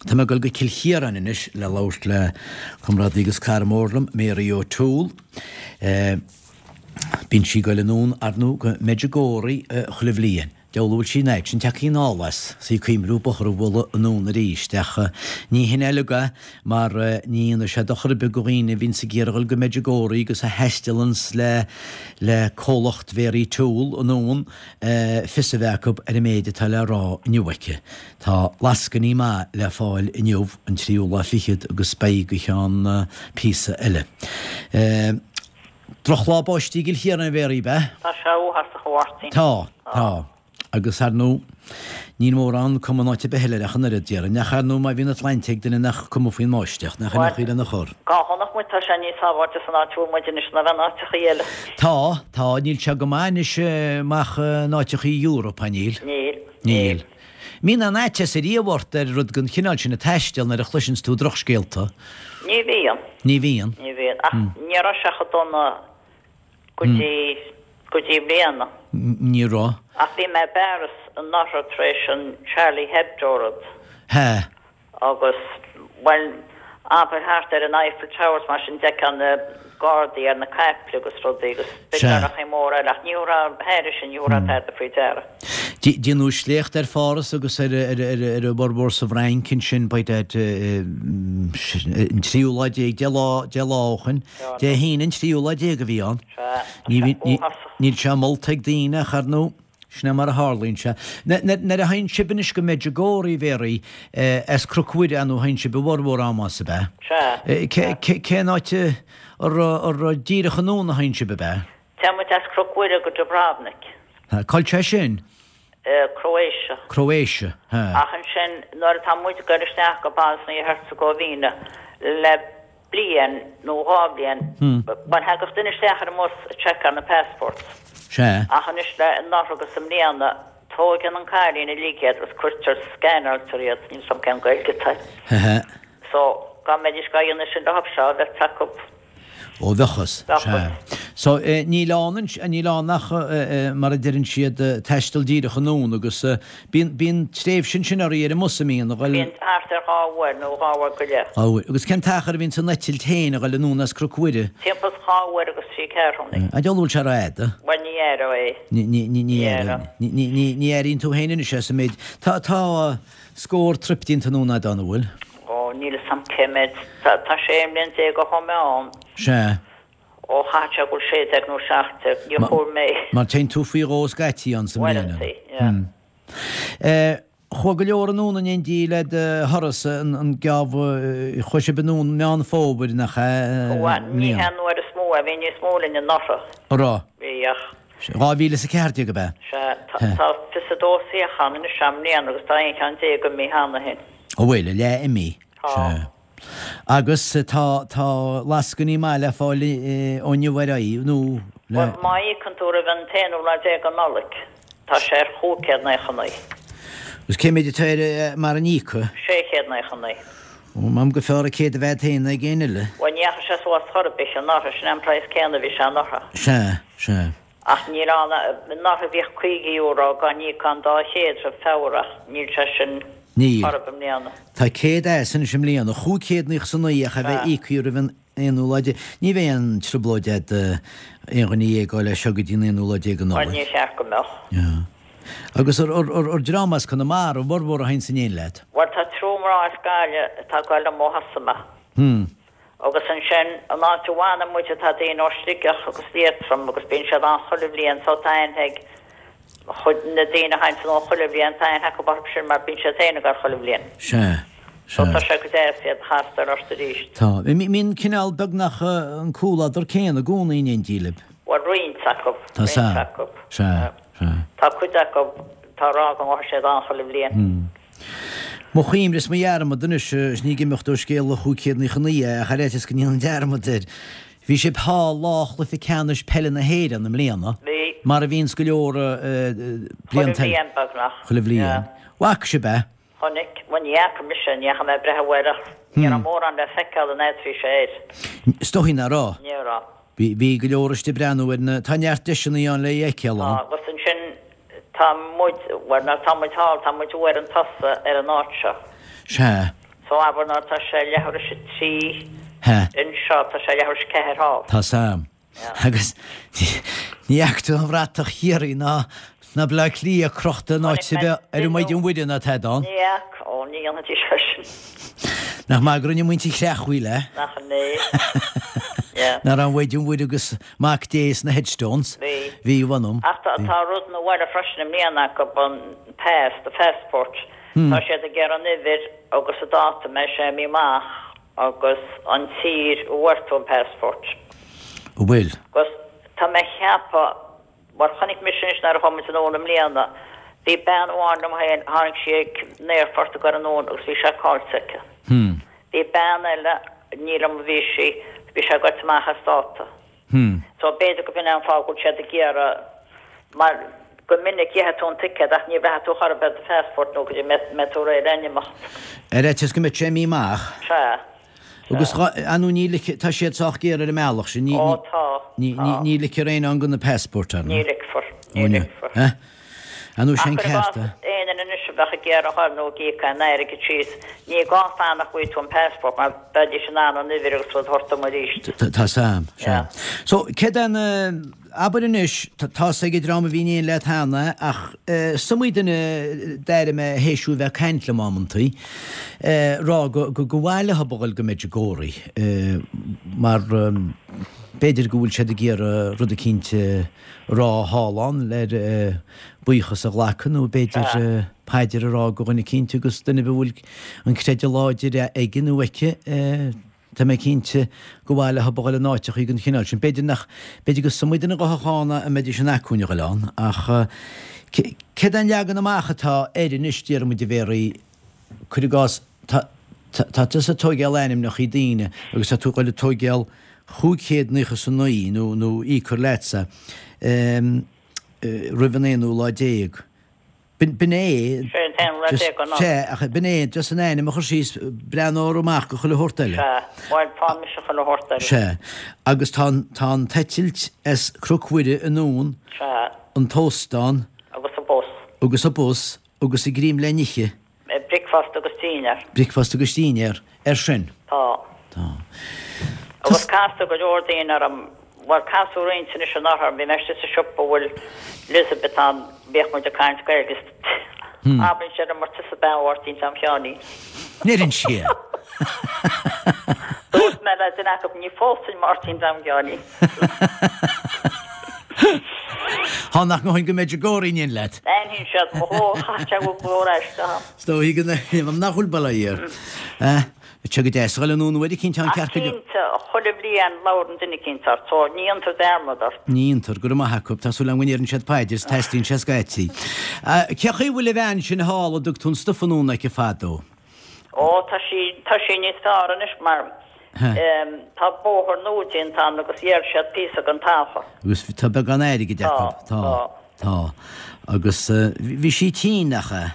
Tá mé ag dul go Cill Chiaráin anois le labhairt le comrádaí agus cara mór liom, Mary O'Toole. Bíonn sí ag goil anonn, ar ndóigh, go Medjugorje chuile bhliain. Deabhal a bhfuil sí an fhaid sin tagtha anall as, is í ag cuimhniú bóthar a bhualadh anonn arís. Ach ní hin uilig é, mar ní dhéanfaidh sé dochar ar bith do dhaoine a bhíonns ag iarraidh a dhul go Medjugorje agus a thaistealanns le le comhlacht Mhary Toole anonn fios a bheith acu ar an méid atá le rá inniu aici. Tá lascainí maith le fáil inniu, an tríú lá fichead, agus beidh go cheann píosa eile. Drochlá báistí i gCill Chiaráin, a Mhéaraí, ab ea? Tá sé uafásach, a Mháirtín. Tá, tá. Agus, ar ndóigh, níl mórán cuma in áit ar bith eile air ach an oiread, déarfainn. Ach, ar ndóigh, má bhíonn an tsláinte ag duine nach cuma faoin mbáisteach, nach in Bhuel, aon chaoi lena chur. cá chonaic muid, tá sé níos sábháilte san áit a bhfuil muid anois ná bheith in áiteachaí eile. Tá, tá. Níl sé go maith anois amach in áiteachaí Europe, níl? Níl, Níl. Mbíonn aon fhaitíos ariamh ort ar rud den chineál sin ag taisteal nuair a chloiseanns tú drochscéalta? Ní bhíonn. Ní bhíonn? Ní bhíonn. Ach ní raibh sé chomh dona go dtí, go dtí i mbliana. Ní raibh. Ach bhí mé i bParis anuraidh tar éis an Charlie Hebdo rud. Hea. Agus, bhuel, abair thart ar an Eiffel Tower is mar sin d'fheicfeá na gardaí ar na caiple agus rudaí agus b'fhéidir Sea. nach aon mhór eile ach ní raibh thairis sin, ní raibh tada faoi deara. Déanadh sléacht ar Pháras agus ar a bhformhór sa bhFrainc ansin by that an tríú lá déag, 10 lá, 10 lá ó shoin. Dé hAoine an tríú lá déag a bhí ann. Sea, tá sé uafásach. Níl sé molta ag daoine ach ar ndóigh. Sin é mar a tharlaíonn sé. Nuair a théann sibh anois go Medjugorje, a Mhéaraí, as Cnoc Mhuire, ar ndóigh, théann sibh i bhformhór ama, ab ea? Sea. Cén áit ar díreach anonn a théann sibh, ab ea? Téann muid as Cnoc Mhuire go Dubrovnik. Cá bhfuil sé sin? Croatia. Croatia, hea. Ach ansin, nuair atá muid ag dul isteach go Bosnia-Herzegovina le bliain nó dhá bhliain, bhuel, thagadh duine isteach ar an mbus ag seiceáil na passports. Sea. Ach anois le anuraidh agus i mbliana, tóigeann an cailín uilig iad agus cuirtear, scanáiltear iad, níl 's a'm cén Gaeilge atá air. Hehe. So, dá mbeidís dhá dhéanamh sin leothab seo, bheadh acu. Ó, bheadh fhios. Bheadh Sea. fhios. So, níl ann, níl ann ach, mar a deireann siad, taisteal díreach anonn agus bíonn, bíonn tréimhse ansin oraibh ar an mbus, an mbíonn, a ghoil. Bíonn thart ar dhá uair nó dhá uair go leith. Dhá uair. Agus cén t-achar a bhíonn san eitilt féin a ghoil anonn as Cnoc Mhuire? Timpeall is dhá uair agus trí ceathrúnaí. An deabhal bhfuil sé rófhada? Bhuel, ní aireofá é. Ní, ní, ní, ní Ní aireofá. aireofá. Ní, ní, ní, ní airíonn tú féin anois é sa méid. Tá, tá scór trip déanta anonn a'd ann, an bhfuil? Ó, níl 'fhios a'm cé méid. Tá 16 mbliain ó chuaigh mé ann. Sea. Ó, chaithfeadh sé go bhfuil 16 nó 17. Níor chomhair mé. Mar téann tú faoi dhó scaití ann sa mbliain. Uaireantaí, yeah. Eh, chuaigh go leor anonn in éindí le do thuras, an geábh, chuaigh sibh anonn Meán Fómhair, nach ea? Chuaigh, ní hea an uair is mó é, bhí níos mó linn anuraidh. An raibh? Bhí, ach. 2014 ab ea? Sea, tá 22 suíochán anois i mbliana agus tá 11 ceann imithe cheana féin. An bhfuil, a leath imithe? Tá. Sea. Agus tá, tá lascainí maith le fáil ó inniu ar aghaidh, nó le. Bhuel, má íocann tú roimh an t-aonú lá déag de Nollaig, tá sé ar 599. Agus cé méid atá air mara n-íoca? 699. Ó, m'anam gur fearr an 100 a bheith agat féin ná ag éinne eile. Bhuel, ní dheachaigh sé suas chor ar bith anuraidh, sin é an praghas céanna a bhí sé anuraidh. Sea, sea. Ach níl ann, anuraidh bhíodh €50 dá n-íocfá an 200 roimh Feabhra ach níl sé sin Níl. chor ar bith i mbliana. Tá 100 as anois i mbliana, 599 ach a bheith íoctha roimh an aonú lá déag. Ní bheidh aon trioblóid a'd aon dhuine a fhágáil as seo go dtí an aonú lá déag de Bhuel, Nollaig. níor cheart go mbeadh. Yeah. Agus ar dream as Conamara a bhformhór a théann in éindí leat? Bhuel, tá triúr mná as Gaillimh atá ag goil liom ó thosaigh mé. Hmm. Agus ansin, an áit a bhfanann muid tá daoine ó Sligeach agus Liatroim agus bíonn siad ann chuile bhliain so tá aithne ag chuid na daoine a théann anonn chuile bhliain, tá aithne acu orthu sin mar bíonn siad féin ag goil chuile bhliain. Sea, So sea. tá sé go deas iad a chastáil ort arís. Tá. Mbíonn cineál beagnach an comhluadar céanna i gcónaí in éindí libh. Bhuel, roinnt acu, Tá roinnt sea. acu. Sea, sea. Tá cuid acu, tá ag rá go ngabhfaidh siad ann chuile bhliain. Hmm. Mo chuimhne is mo dhearmad anois, is ní ag imeacht ó scéal an 599 é, ach ar fhaitíos go ndéanfainn dearmad air. Bhí sibh thall lá chluiche ceannais peile na hÉireann i mbliana, Bhí. mar a bhíonns go leor Chuile blianta eile. bhliain, beagnach. Chuile bhliain. Yeah. Bhfaca sibh é? Chonaic. Bhuel, ní fhaca mise, ní dheachaigh mé ag breathnú air ach ní raibh mórán le feiceáil an fhad a bhí sé air. Is dóigh nach raibh. Ní raibh. Bhí, bhí go leor istigh ag breathnú air na, tá neart deiseanna ann le é a fheiceáil Tá, ann. agus ansin tá muid, bhuel, nuair atá muid thall, tá muid uair chun tosaigh ar an áit seo. Sea. So abair nuair atá sé leathuair théis a 3 anseo, tá sé leathuair théis 4 thall. Tá sam. Agus ní fhaca tú an bhratach Chiarraí ná ná Baile Átha Cliath crochta in áit ar bith ar an Maighdean Mhuire ná tada ann. Ní fhaca, ó ní dhéanfaidís é sin. Nach maith go rinne muintir Chreachmhaoil é? Nach in é? Yeah. Nach raibh an Mhaighdean Mhuire agus Mac Dé sna headstones? Bhí. Bhí, mh'anam. Ach tá rud nua eile freisin i mbliana acu, an pass, the passport. Tá siad ag iarraidh an uimhir agus an dáta a mbeidh sé imithe amach agus an tír a bhfuair tú an passport. An bhfuil? Agus tá mé a cheapadh, mar chonaic mise anois nuair a chuaigh muid anonn i mbliana, bhí bean amháin liom féin, tháinig sí ag an aerfort ag goil anonn agus bhí sé caillte aici. Bhí bean eile, ní liom a bhí sí, bhí sé goite amach as dáta. So b'fhéidir go b'in é an fáth go bhfuil siad ag iarraidh, mar go minic gheobhaidh tú an ticéad ach ní bhraithfidh tú chor ar bith do phassport nó go dtí mbeidh tú réidh le n-imeacht. Ar fhaitíos go mbeadh sé imithe amach. Sea. Agus ar ndóigh ní ligfidh, tá siad sách géar ar an mbealach sin, ní, Ó tá, ní, ní, tá. ní ligfear éinne ann gan an passport, ar Ní ndóigh. ligfear, Ó ní ní, ligfear. eh? Ar ndóigh Ach sé an cuir i ceart gcás é. aon duine anois a bheadh ag iarraidh a ghoil nó ag íoc aon airgead síos, ní gá fanacht go bhfaighidh tú an passport mar bheidís in ann an uimhir agus rud a thabhairt dom arís. Tá sam, sea. Yeah. So, céard é na, abair anois, tá's ag an dream a bhí in éindí leat cheana ach is iomaí duine d'airigh mé théis thú a bheith ag caint liom amantaí, rá go, go, gur mhaith leo a dhul go Medjugorje mar b'fhéidir go bhfuil siad ag iarraidh rud eicínt a rá thall ann le buíochas a ghlacadh nó b'fhéidir paidir a rá go dhuine eicínt agus duine ar bith a bhfuil an creideamh láidir aige nó aici, tá mé cinnte gur mhaith leo a dhul in áiteachaí den chineál sin. B'fhéidir nach, b'fhéidir gur is iomaí duine a ghabhfadh ann a mbeidís in acmhainn a dhul ann ach céard é an leagan amach atá air anois, déarfaidh muid a Mhéaraí, cuir i gcás, tá, tá tusa ag tóigeáil ainmneachaí daoine agus tá tú ag dul ag tóigeáil 599 nó, nó íocfar leatsa roimh an aonú lá déag. B'in, b'in é, Sé an t-aonú lá just, déag an sea, ach b'in é, just an ainm a chur síos, breathnóir amach go chuile shórt eile. Sea, bhuel, tá mise chuile shórt eile. Sea, agus tá an, tá an t-eitilt as Cnoc Mhuire anonn, Sea. an t-óstán. Agus an bus. Agus an bus, agus an greim le n-ithe. Bricfeasta agus dinnéar. Bricfeasta agus dinnéar, ar sin. Tá. Tá. Agus castar go leor daoine orm, bhuel casadh roinnt anois anuraidh orm, bhí mé istigh sa siopa a bhfuil Elizabeth ann, bhíodh muid ag caint Gaeilge is abraíonn sé liom ar tusa bean Mháirtín Tom Sheáinín. Ndeireann sé. Dúirt mé le duine acu ní phósfainn Máirtín Tom Sheáinín. Thá nach ngabhfainn go Medjugorje in éindí leat. Aithníonn siad mo ghlór, chaith sé go glór aisteach. Is dóigh go n-, nach bhfuil bail air. Tá sé go deas a dhul anonn uair eicínt, tá an Ach ceart go. cinnte, chuile bhliain labhrann duine eicínt ort, so ní dhéantar dearmad ort. Ní dhéantar, go raibh maith acu, tá súil agam go ndeireann siad paidir is teastaíonn sé scaití. Cé chaoi a bhfuil an bhean sin thall a dtug tú an stuif anonn aici fadó? Ó, tá sí, tá sí níos fearr anois mar tá bóthar nua déanta ann agus dhíol siad píosa den talamh. Agus tá beagán airgid acu. Tá, tá. Tá. Agus bhí sí tinn, nach ea?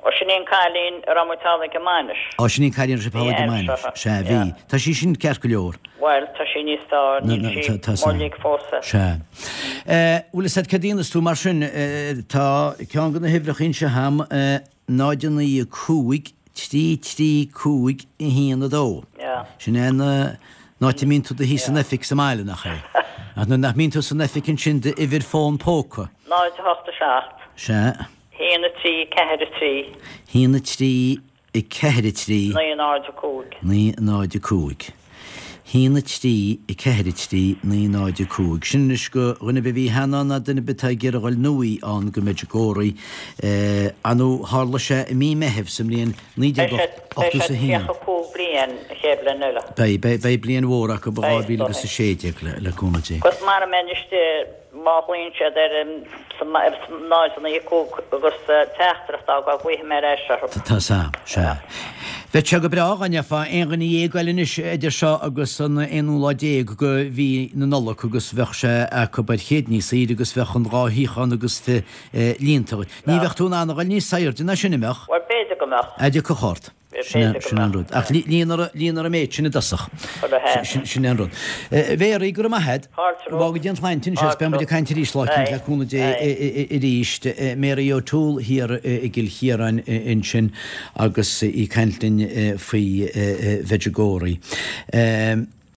Ó, sin í an cailín a raibh muid thall ag an mbainis. Ó, sin í an cailín a raibh sibh thall ag an mbainis. Sea, bhí. Tá sí sin ceart go leor. Bhuel, tá sí níos fearr, níl sí uilig fós. Sea. Bhfuil fhios a'd céard a dhéanfas tú mar sin, tá ceann de na huimhreacha anseo a'm, 0 9 5 3 3 5 1 2. Sin é an áit a mbíonn tú i do shuí san oifig sa mbaile, nach é? Ach nuair nach mbíonn tú san oifig ansin d'uimhir fón póca. 0 8 7. Sea. 1 3 4 3. 1 3 4 3. 9 0 5. 9 0 5. 1 3 4 3 9 0 5. Sin anois go dhuine ar bith a bhí cheana ann ná duine ar bith atá ag iarraidh a dhul nuaí ann go Medjugorje. Ar ndóigh tharla sé i mí Meithimh sa mbliain Beidh sé beidh sé 1981. 35 bliain an chéad bhliain eile. Beidh, beidh, beidh bliain mhór acu i Beidh, 2016 le, le cúnamh Dé. Agus mara mbeinn istigh má ghlaonn siad ar an 0 9 5 agus teachtaireacht a fhágáil glaofaidh mé ar ais orthu. Tá sam, sea. Bheadh sé go breá dá mbeifeá aon dhuine dhéag eile anois idir seo agus an aonú lá déag de mhí na Nollag agus bheadh sé acu ar chéad níos aoirde agus bheadh an dá shuíochán agus fi líonta. Ní bheadh tú in ann a dhul níos airde ná sin, an mbeadh? Bhuel, b'fhéidir go mbeadh. A dtiocfadh ort. Sin an rud. Ach líonfar an méid sin i dtosach. Sin an rud. A Mhéaraí, go raibh maith agat. Go bhfága Dia an tsláinte anois agus beidh muid ag caint arís lá eicínt le cúnamh Dé arís. Mary O'Toole thiar i gCill Chiaráin ansin agus í ag caint linn faoi Mhedjugorje.